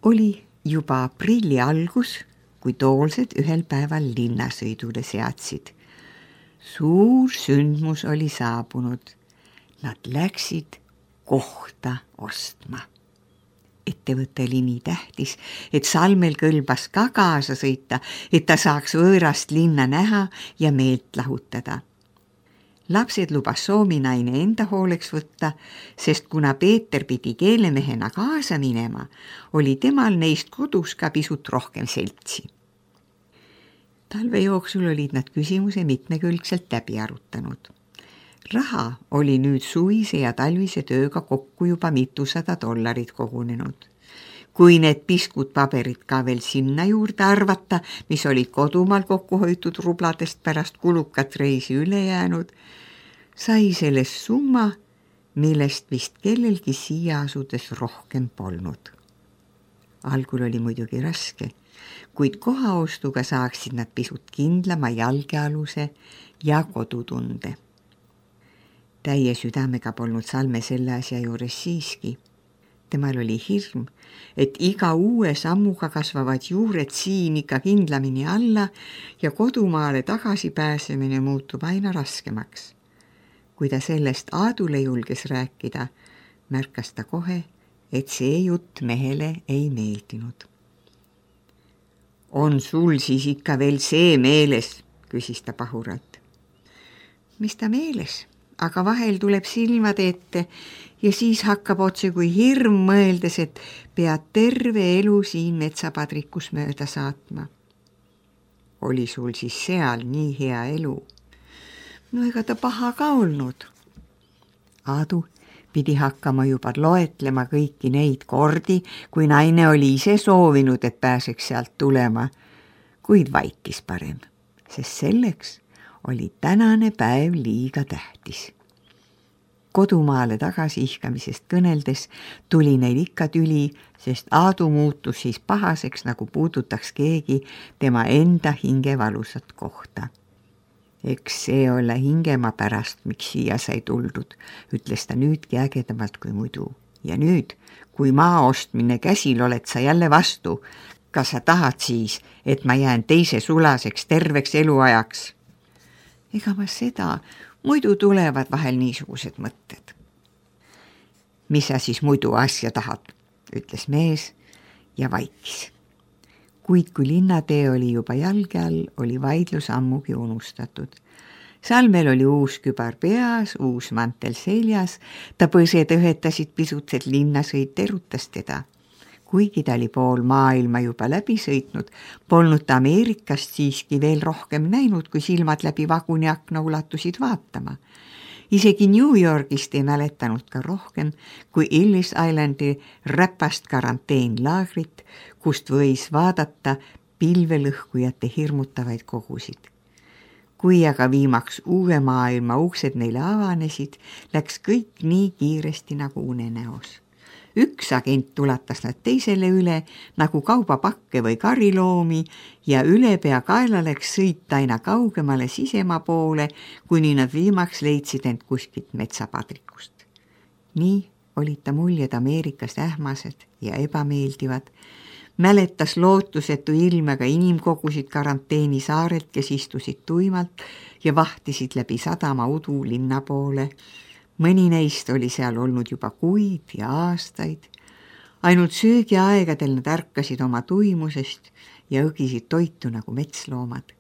Oli juba aprilli algus, kui toolsed ühel päeval linnasõidule seadsid. Suur sündmus oli saabunud. Nad läksid kohta ostma. Ettevõte oli nii tähtis, et Salmel kõlbas ka kaasa sõita, et ta saaks võõrast linna näha ja meelt lahutada. Lapsed lubas Soominaine enda hooleks võtta, sest kuna Peeter pidi keelemehena kaasa minema, oli temal neist kodus ka pisut rohkem seltsi. Talve jooksul olid nad küsimuse mitmekülgselt läbi arutanud. Raha oli nüüd suvise ja talvise tööga kokku juba $200 kogunenud. Kui need piskud paberid ka veel sinna juurde arvata, mis olid kodumaal kokku hoitud rubladest pärast kulukat reisi üle jäänud, sai sellest summa, millest vist kellelgi siia asudes rohkem polnud. Algul oli muidugi raske, kuid kohaostuga saaksid nad pisut kindlama jalgealuse ja kodutunde. Täie südamega polnud Salme selle asja juures siiski. Temal oli hirm, et iga uue sammuga kasvavad juured siin ikka kindlamini alla ja kodumaale tagasi pääsemine muutub aina raskemaks. Kui ta sellest Aadule julges rääkida, märkas ta kohe, et see jutt mehele ei meeldinud. On sul siis ikka veel see meeles, küsis ta pahuralt. Mis ta meeles? Aga vahel tuleb silmade ette ja siis hakkab otse kui hirm mõeldes, et pead terve elu siin metsapadrikus mööda saatma. Oli sul siis seal nii hea elu? No ega ta paha ka olnud. Aadu pidi hakkama juba loetlema kõiki neid kordi, kui naine oli ise soovinud, et pääseks sealt tulema, kuid vaikis parem, sest selleks oli tänane päev liiga tähtis. Kodumaale tagasi ihkamisest kõneldes tuli neil ikka tüli, sest Aadu muutus siis pahaseks, nagu puudutaks keegi tema enda hinge valusat kohta. Eks see ole hingema pärast, miks siia sai tuldud, ütles ta nüüdki ägedamalt kui muidu. Ja nüüd, kui maa ostmine käsil oled sa jälle vastu, kas sa tahad siis, et ma jään teise sulaseks terveks eluajaks? Ega ma seda, muidu tulevad vahel niisugused mõtted. Mis sa siis muidu asja tahad, ütles mees ja vaikis. Kuid kui linnatee oli juba jalge all, oli vaidlus ammugi unustatud. Salmel oli uus kübar peas, uus mantel seljas, ta põsed õhetasid pisut, et linnasõit erutas teda. Kuigi ta oli pool maailma juba läbi sõitnud, polnud ta Ameerikast siiski veel rohkem näinud, kui silmad läbi vaguni akna ulatusid vaatama. Isegi New Yorgist ei mäletanud ka rohkem kui Ellis Islandi räpast karanteenlaagrit, kust võis vaadata pilvelõhkujate hirmutavaid kogusid. Kui aga viimaks uue maailma uksed neile avanesid, läks kõik nii kiiresti nagu unenäos. Üks agent tulatas nad teisele üle nagu kaubapakke või kariloomi ja ülepea kaela läks sõita aina kaugemale sisemaa poole, kuni nad viimaks leidsid end kuskilt metsapadrikust. Nii olid ta muljed Ameerikast ähmased ja ebameeldivad, mäletas lootusetu ilmega inimkogusid karanteeni saarelt, kes istusid tuimalt ja vahtisid läbi sadama udu linna poole. Mõni neist oli seal olnud juba kuid ja aastaid. Ainult söögiaegadel nad ärkasid oma tuimusest ja õgisid toitu nagu metsloomad.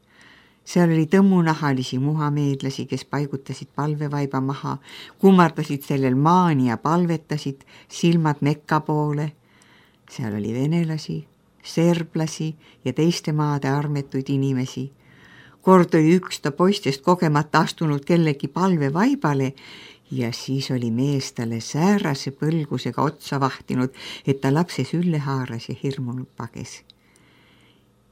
Seal oli tõmmunahalisi muhameedlasi, kes paigutasid palvevaiba maha, kummardasid sellel maani ja palvetasid silmad Mekka poole. Seal oli venelasi, serblasi ja teiste maade armetuid inimesi. Kord oli üks ta poistest kogemata astunud kellegi palvevaibale ja siis oli mees talle säärase põlgusega otsa vahtinud, et ta lapse sülle haaras ja hirmunud pages.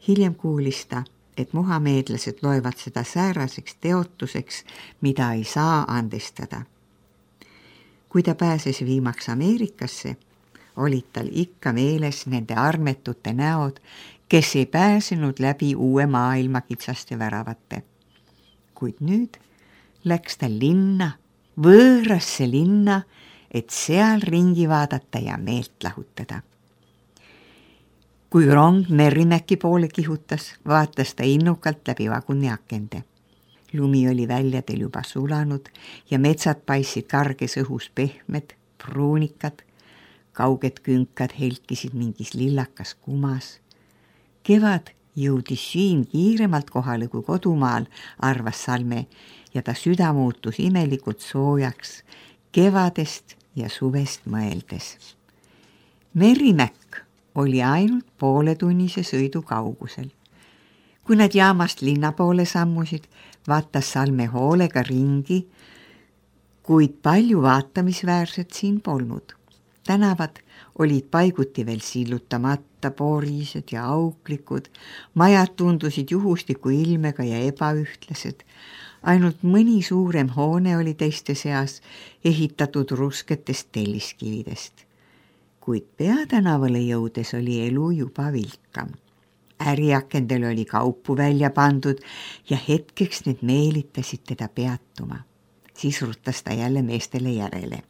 Hiljem kuulis ta, et muhameedlased loevad seda sääraseks teotuseks, mida ei saa andestada. Kui ta pääses viimaks Ameerikasse, olid tal ikka meeles nende armetute näod, kes ei pääsenud läbi uue maailma kitsaste väravate. Kuid nüüd läks ta linna, võõrasse linna, et seal ringi vaadata ja meelt lahutada. Kui rong Merrimäki poole kihutas, vaatas ta innukalt läbi vaguni akende. Lumi oli väljadel juba sulanud ja metsad paistsid karges õhus pehmed, pruunikad, kauged künkad helkisid mingis lillakas kumas. Kevad jõudis siin kiiremalt kohale kui kodumaal, arvas Salme, ja ta süda muutus imelikult soojaks kevadest ja suvest mõeldes. Merrimäkk oli ainult pooletunnise sõidu kaugusel. Kui nad jaamast linna poole sammusid, vaatas Salme hoolega ringi, kuid palju vaatamisväärset siin polnud. Tänavad olid paiguti veel sillutamata, porised ja auklikud, majad tundusid juhusliku ilmega ja ebaühtlased. Ainult mõni suurem hoone oli teiste seas ehitatud rusketest telliskividest. Kuid peatänavale jõudes oli elu juba vilkam. Äriakendel oli kaupu välja pandud ja hetkeks need meelitasid teda peatuma. Siis rutas ta jälle meestele järele.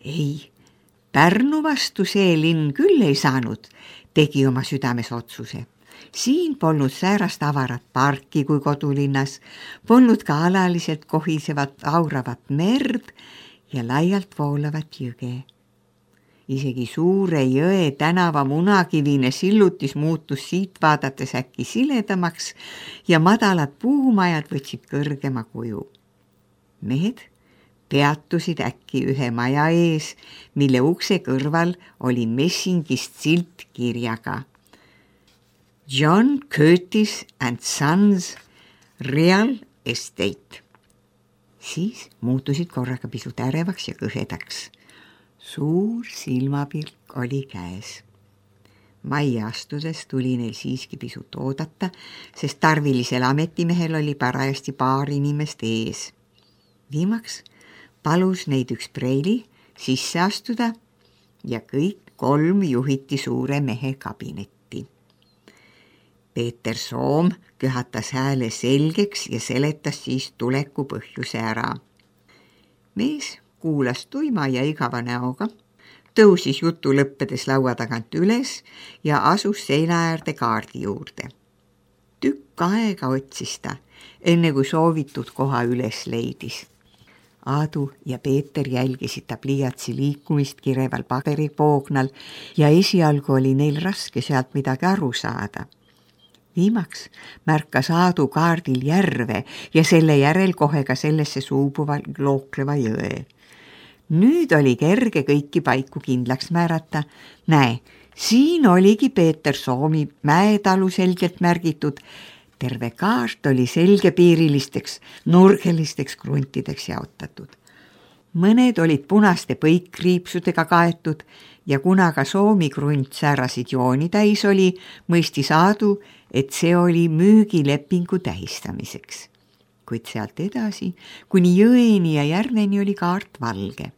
Ei, Pärnu vastu see linn küll ei saanud, tegi oma südames otsuse. Siin polnud säärast avarat parki kui kodulinnas, polnud ka alaliselt kohisevat auravat merd ja laialt voolavat jõge. Isegi suure jõe tänava munakivine sillutis muutus siit vaadates äkki siledamaks ja madalad puumajad võtsid kõrgema kuju. Mehed peatusid äkki ühe maja ees, mille ukse kõrval oli messingist silt kirjaga John Curtis and Sons Real Estate. Siis muutusid korraga pisut ärevaks ja kõhedaks. Suur silmapilk oli käes. Majja astudes tuli neil siiski pisut oodata, sest tarvilisel ametimehel oli parajasti paar inimest ees. Viimaks palus neid üks preili sisse astuda ja kõik 3 juhiti suure mehe kabinetti. Peeter Soom köhatas hääle selgeks ja seletas siis tuleku põhjuse ära. Mees kuulas tuima ja igava näoga, tõusis jutu lõppedes laua tagant üles ja asus seina äärde kaardi juurde. Tükk aega otsis ta, enne kui soovitud koha üles leidis. Aadu ja Peeter jälgisid ta pliiatsi liikumist kireval paberipoognal ja esialgu oli neil raske sealt midagi aru saada. Viimaks märkas Aadu kaardil järve ja selle järel kohe ka sellesse suubuva lookleva jõe. Nüüd oli kerge kõiki paiku kindlaks määrata. Näe, siin oligi Peeter Soomi mäetalu selgelt märgitud. Terve kaart oli selgepiirilisteks, nurgelisteks kruntideks jaotatud. Mõned olid punaste põikkriipsudega kaetud ja kuna ka Soomi krunt säärasid jooni täis oli, mõistis Aadu, et see oli müügilepingu tähistamiseks. Kuid sealt edasi, kuni jõeni ja järveni oli kaart valge.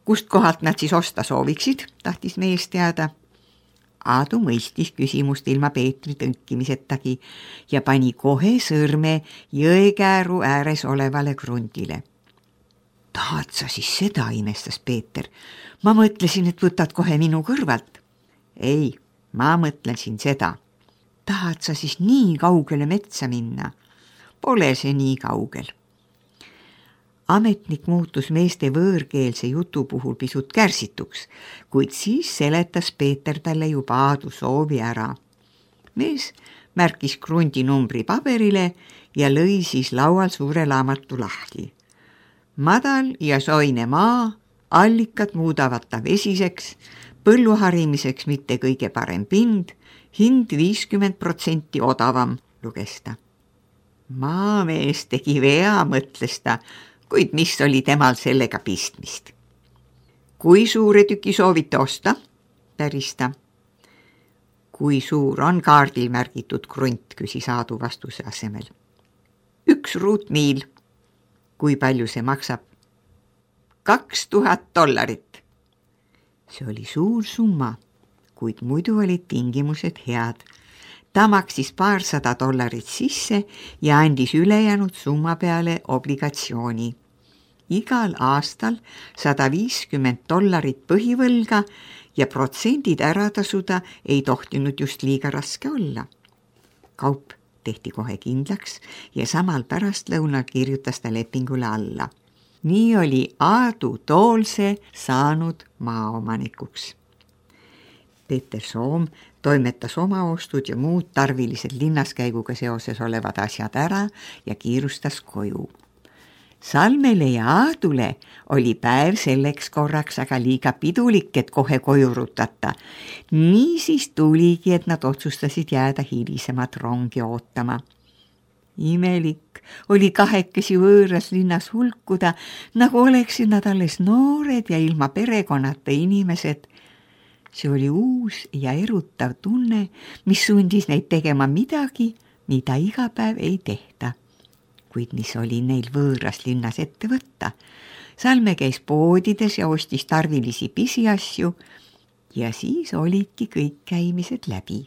Kust kohalt nad siis osta sooviksid, tahtis mees teada. Aadu mõistis küsimust ilma Peetri tõnkimisetagi ja pani kohe sõrme jõekääru ääres olevale krundile. Tahad sa siis seda, imestas Peeter. Ma mõtlesin, et võtad kohe minu kõrvalt. Ei, ma mõtlesin seda. Tahad sa siis nii kaugele metsa minna? Pole see nii kaugel. Ametnik muutus meeste võõrkeelse jutu puhul pisut kärsituks, kuid siis seletas Peeter talle juba Aadu soovi ära. Mees märkis krundi numbri paberile ja lõi siis laual suure laamatu lahti. Madal ja soine maa, allikad muudavad ta vesiseks, põllu harimiseks mitte kõige parem pind, hind 50% odavam, luges ta. Maamees tegi vea, mõtles ta, kuid mis oli temal sellega pistmist. Kui suure tüki soovite osta? Päris ta. Kui suur on kaardil märgitud krunt, küsis Aadu vastuse asemel. 1 ruutmiil. Kui palju see maksab? $2000. See oli suur summa, kuid muidu olid tingimused head. Ta maksis $200 sisse ja andis ülejäänud summa peale obligatsiooni. Igal aastal $150 põhivõlga ja protsendid ära tasuda ei tohtinud just liiga raske olla. Kaup tehti kohe kindlaks ja samal pärastlõunal kirjutas ta lepingule alla. Nii oli Aadu Toolse saanud maaomanikuks. Peeter Soom toimetas oma ostud ja muud tarvilised linnaskäiguga seoses olevad asjad ära ja kiirustas koju. Salmele ja Aadule oli päev selleks korraks aga liiga pidulik, et kohe koju rutata. Niisiis tuligi, et nad otsustasid jääda hilisemat rongi ootama. Imelik oli kahekesi võõras linnas hulkuda, nagu oleksid nad alles noored ja ilma perekonnata inimesed. See oli uus ja erutav tunne, mis sundis neid tegema midagi, mida iga päev ei tehta. Kuid mis oli neil võõras linnas ette võtta. Salme käis poodides ja ostis tarvilisi pisiasju ja siis olidki kõik käimised läbi.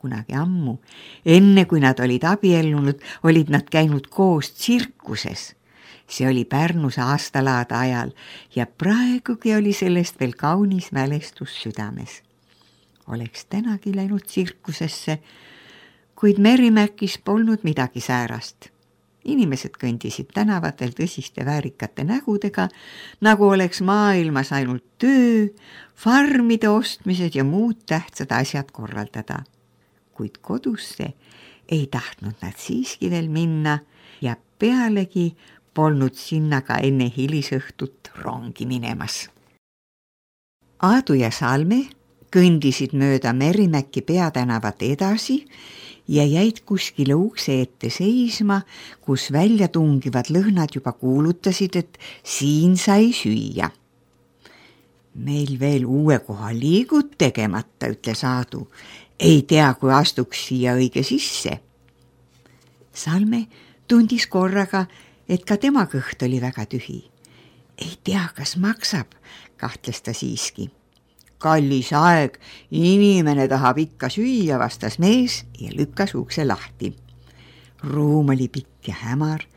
Kunagi ammu, enne kui nad olid abiellunud, olid nad käinud koos tsirkuses. See oli Pärnus aastalaada ajal ja praegugi oli sellest veel kaunis mälestus südames. Oleks tänagi läinud tsirkusesse, kuid Merimäkis polnud midagi säärast. Inimesed kõndisid tänavatel tõsiste väärikate nägudega, nagu oleks maailmas ainult töö, farmide ostmised ja muud tähtsad asjad korraldada. Kuid kodusse ei tahtnud nad siiski veel minna ja pealegi polnud sinna ka enne hilisõhtut rongi minemas. Aadu ja Salme kõndisid mööda Merimäki peatänavat edasi ja jäid kuskile ukse ette seisma, kus välja tungivad lõhnad juba kuulutasid, et siin sai süüa. Meil veel uue koha liigud tegemata, ütles Aadu. Ei tea, kui astuks siia õige sisse. Salme tundis korraga, et ka tema kõht oli väga tühi. Ei tea, kas maksab, kahtles ta siiski. Kallis aeg, inimene tahab ikka süüa, vastas mees ja lükkas ukse lahti. Ruum oli pikk ja hämar,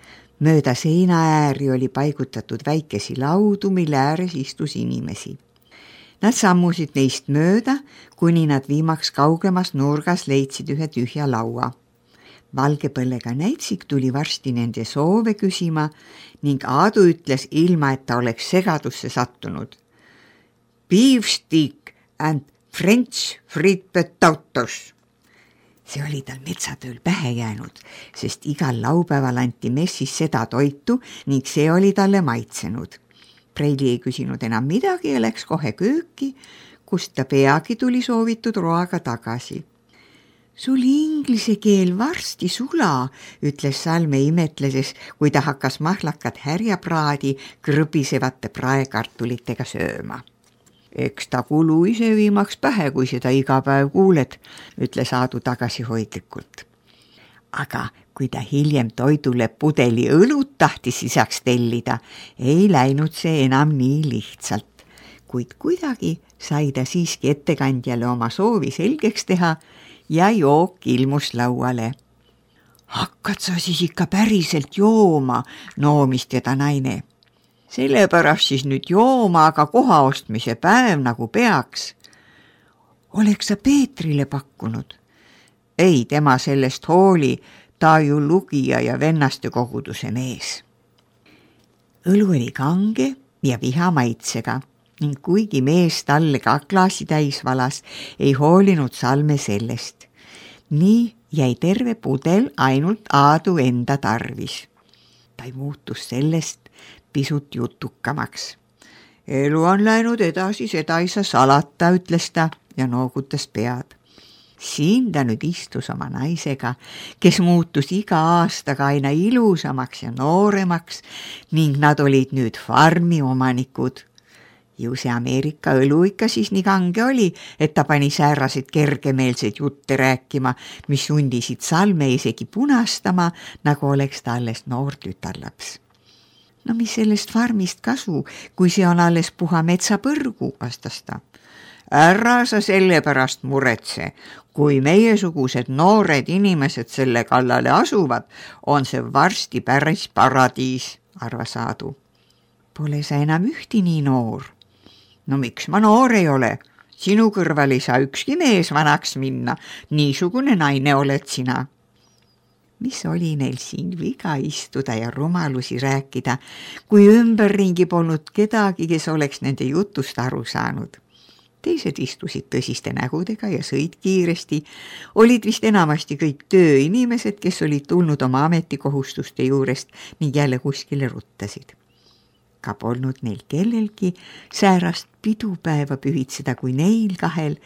mööda seina ääri oli paigutatud väikesi laudu, mille ääres istus inimesi. Nad sammusid neist mööda, kuni nad viimaks kaugemas nurgas leidsid ühe tühja laua. Valgepõllega näitsik tuli varsti nende soove küsima ning Aadu ütles ilma, et ta oleks segadusse sattunud. Beef stick and French fried potatoes. See oli tal metsatööl pähe jäänud, sest igal laupäeval anti messis seda toitu ning see oli talle maitsenud. Preili ei küsinud enam midagi ja läks kohe kööki, kust ta peagi tuli soovitud roaga tagasi. Sul inglise keel varsti sula, ütles Salme imetledes, kui ta hakkas mahlakat härjapraadi krõbisevate praekartulitega sööma. Eks ta kulu ise viimaks pähe, kui seda iga päev kuuled, ütles Aadu tagasihoidlikult. Aga kui ta hiljem toidule pudeli õlut tahtis lisaks tellida, ei läinud see enam nii lihtsalt. Kuid kuidagi sai ta siiski ettekandjale oma soovi selgeks teha ja jook ilmus lauale. Hakkad sa siis ikka päriselt jooma, noomis teda naine. Sellepärast siis nüüd jooma, aga koha ostmise päev nagu peaks. Oleks sa Peetrile pakkunud? Ei, tema sellest hooli, ta ju lugija ja vennaste koguduse mees. Õlu oli kange ja viha maitsega ning kuigi mees talle ka klaasi täis valas, ei hoolinud Salme sellest. Nii jäi terve pudel ainult Aadu enda tarvis. Ta muutus sellest pisut jutukamaks. Elu on läinud edasi, seda ei saa salata, ütles ta ja noogutas pead. Siin ta nüüd istus oma naisega, kes muutus iga aastaga aina ilusamaks ja nooremaks ning nad olid nüüd farmi omanikud. Ju see Ameerika õlu ikka siis nii kange oli, et ta pani säärased kergemeelseid jutte rääkima, mis sundisid Salme isegi punastama, nagu oleks ta alles noor tütarlaps. No mis sellest farmist kasu, kui see on alles puha metsapõrgu, vastas ta. Ära sa selle pärast muretse, kui meiesugused noored inimesed selle kallale asuvad, on see varsti päris paradiis, arvas Aadu. Pole sa enam ühti nii noor. No miks ma noor ei ole? Sinu kõrval ei saa ükski mees vanaks minna, niisugune naine oled sina. Mis oli neil siin viga istuda ja rumalusi rääkida, kui ümberringi polnud kedagi, kes oleks nende jutust aru saanud. Teised istusid tõsiste nägudega ja sõid kiiresti, olid vist enamasti kõik tööinimesed, kes olid tulnud oma ametikohustuste juurest ning jälle kuskile ruttasid. Ka polnud neil kellelgi säärast pidupäeva pühitseda kui neil kahel,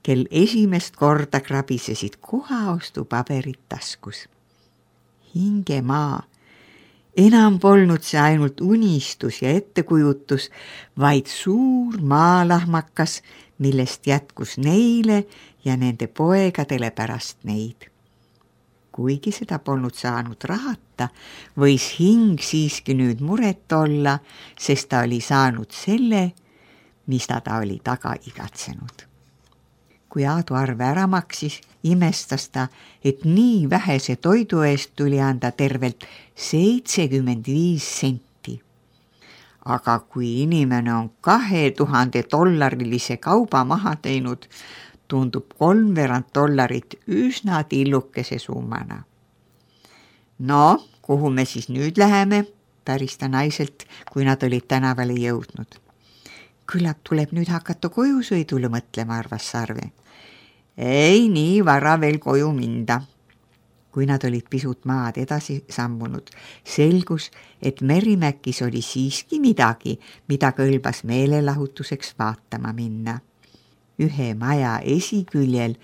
kel esimest korda krabisesid kohaostupaberid taskus. Hingemaa. Enam polnud see ainult unistus ja ettekujutus, vaid suur maalahmakas, millest jätkus neile ja nende poegadele pärast neid. Kuigi seda polnud saanud rahata, võis hing siiski nüüd muret olla, sest ta oli saanud selle, mis ta oli taga igatsenud. Kui Aadu arve ära maksis, imestas ta, et nii vähese toidu eest tuli anda tervelt 75 senti. Aga kui inimene on $2000 kauba maha teinud, tundub $3/4 üsna tillukese summana. No, kuhu me siis nüüd läheme, päris ta naiselt, kui nad olid tänavale jõudnud. Küllap tuleb nüüd hakata kojusõidule mõtlema, arvas Sarve. Ei nii vara veel koju minda. Kui nad olid pisut maad edasi sammunud, selgus, et Merimäkis oli siiski midagi, mida kõlbas meelelahutuseks vaatama minna. Ühe maja esiküljel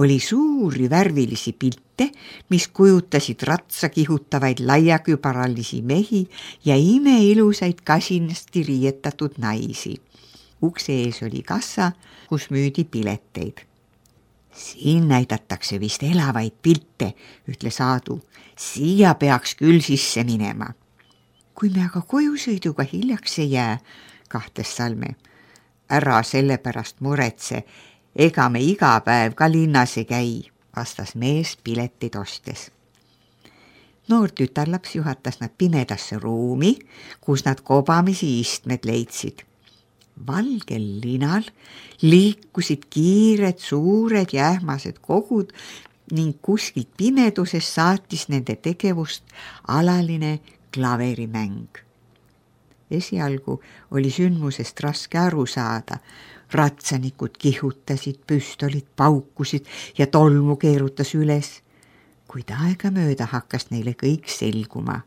oli suuri värvilisi pilte, mis kujutasid ratsa kihutavaid laiakübaralisi mehi ja imeilusaid kasinasti riietatud naisi. Ukse ees oli kassa, kus müüdi pileteid. Siin näidatakse vist elavaid pilte, ütles Aadu. Siia peaks küll sisse minema. Kui me aga kojusõiduga hiljaks ei jää, kahtes Salme. Ära selle pärast muretse, ega me iga päev ka linnas ei käi, vastas mees piletid ostes. Noor tütarlaps juhatas nad pimedasse ruumi, kus nad kobamisi istmed leidsid. Valgel linal liikusid kiired, suured ja ähmased kogud ning kuskilt pimeduses saatis nende tegevust alaline klaverimäng. Esialgu oli sündmusest raske aru saada. Ratsanikud kihutasid, püstolid paukusid ja tolmu keerutas üles. Kuid aega mööda hakkas neile kõik selguma.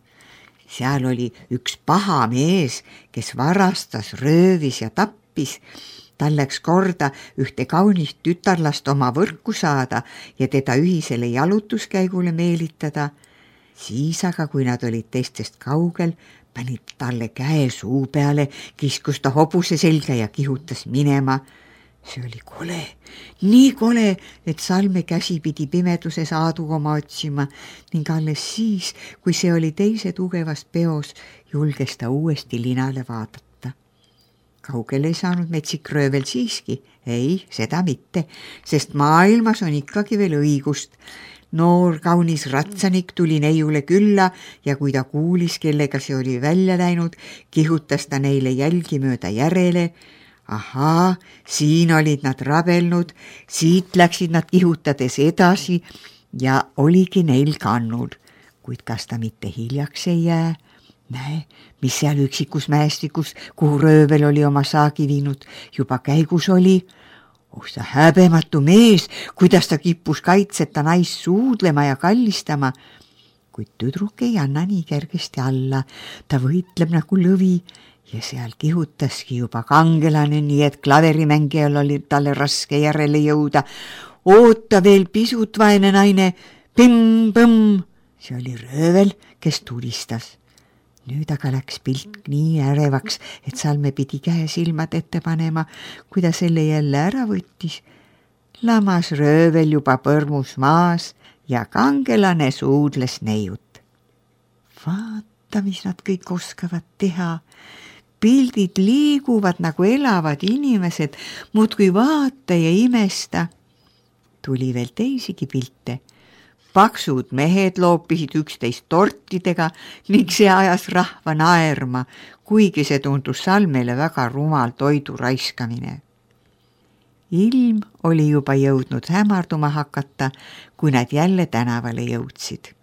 Seal oli üks paha mees, kes varastas, röövis ja tappis. Tal läks korda ühte kaunist tütarlast oma võrku saada ja teda ühisele jalutuskäigule meelitada. Siis aga, kui nad olid teistest kaugel, panid talle käe suu peale, kiskus ta hobuse selga ja kihutas minema. See oli kole, nii kole, et Salme käsi pidi pimeduses Aadu oma otsima ning alles siis, kui see oli teise tugevas peos, julges ta uuesti linale vaadata. Kaugel ei saanud metsik röövel siiski, ei, seda mitte, sest maailmas on ikkagi veel õigust. Noor kaunis ratsanik tuli neiule külla ja kui ta kuulis, kellega see oli välja läinud, kihutas ta neile jälgi mööda järele. Ahaa, siin olid nad rabelnud, siit läksid nad kihutades edasi ja oligi neil kannud. Kuid kas ta mitte hiljaks ei jää? Näe, mis seal üksikus mäestikus, kuhu röövel oli oma saagi viinud, juba käigus oli. Oh, see häbematu mees, kuidas ta kippus kaitseta naist suudlema ja kallistama. Kuid tüdruk ei anna nii kergesti alla, ta võitleb nagu lõvi. Ja seal kihutaski juba kangelane, nii et klaverimängijal oli talle raske järele jõuda. Oota veel pisut, vaene naine, pimm-põmm. See oli röövel, kes tulistas. Nüüd aga läks pilt nii ärevaks, et Salme pidi käe silmad ette panema, kui ta selle jälle ära võttis. Lamas röövel juba põrmus maas ja kangelane suudles neiut. Vaata, mis nad kõik oskavad teha. Pildid liiguvad nagu elavad inimesed, muudkui vaata ja imesta. Tuli veel teisigi pilte. paksud mehed loopisid üksteist tortidega ning see ajas rahva naerma, kuigi see tundus Salmele väga rumal toidu raiskamine. Ilm oli juba jõudnud hämarduma hakata, kui nad jälle tänavale jõudsid.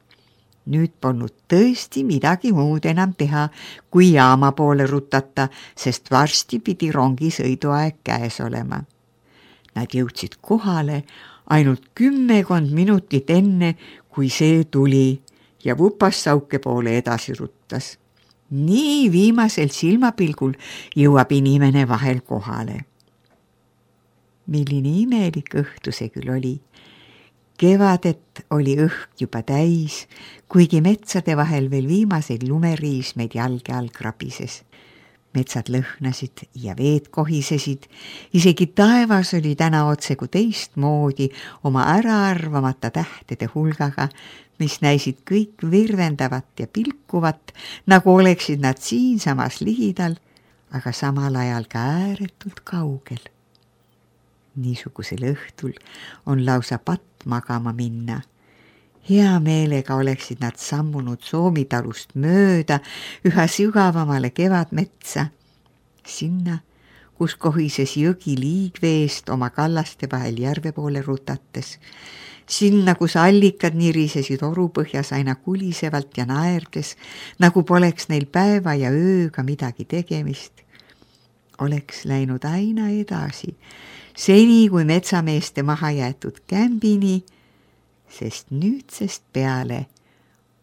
Nüüd polnud tõesti midagi muud enam teha, kui jaama poole rutata, sest varsti pidi rongi sõiduaeg käes olema. Nad jõudsid kohale ainult 10 minutit enne, kui see tuli ja Vupassauke poole edasi ruttas. Nii viimasel silmapilgul jõuab inimene vahel kohale. Milline imelik õhtu see küll oli. Kevadet oli õhk juba täis, kuigi metsade vahel veel viimaseid lumeriismeid jalge all krabises. Metsad lõhnasid ja veed kohisesid, isegi taevas oli täna otsegu teistmoodi oma äraarvamata tähtede hulgaga, mis näisid kõik virvendavat ja pilkuvat, nagu oleksid nad siinsamas ligidal, aga samal ajal ka ääretult kaugel. Niisugusel õhtul on lausa patt magama minna. Hea meelega oleksid nad sammunud Soomitalust mööda üha sügavamale kevadmetsa, sinna, kus kohises jõgi liigveest oma kallaste vahel järve poole rutates, sinna, kus allikad nirisesid orupõhjas aina kulisevalt ja naerdes, nagu poleks neil päeva ja ööga midagi tegemist. Oleks läinud aina edasi, seni kui metsameeste maha jäetud kämbini, sest nüüdsest peale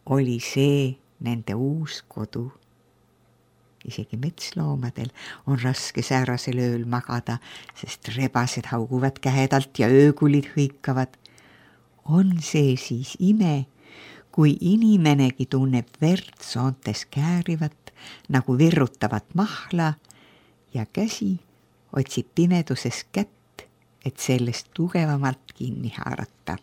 oli see nende uus kodu. Isegi metsloomadel on raske säärasel ööl magada, sest rebased hauguvad kähedalt ja öökulid hõikavad. On see siis ime, kui inimenegi tunneb verd soontes käärivat, nagu virrutavat mahla ja käsi otsib pimeduses kätt, et sellest tugevamalt kinni haarata.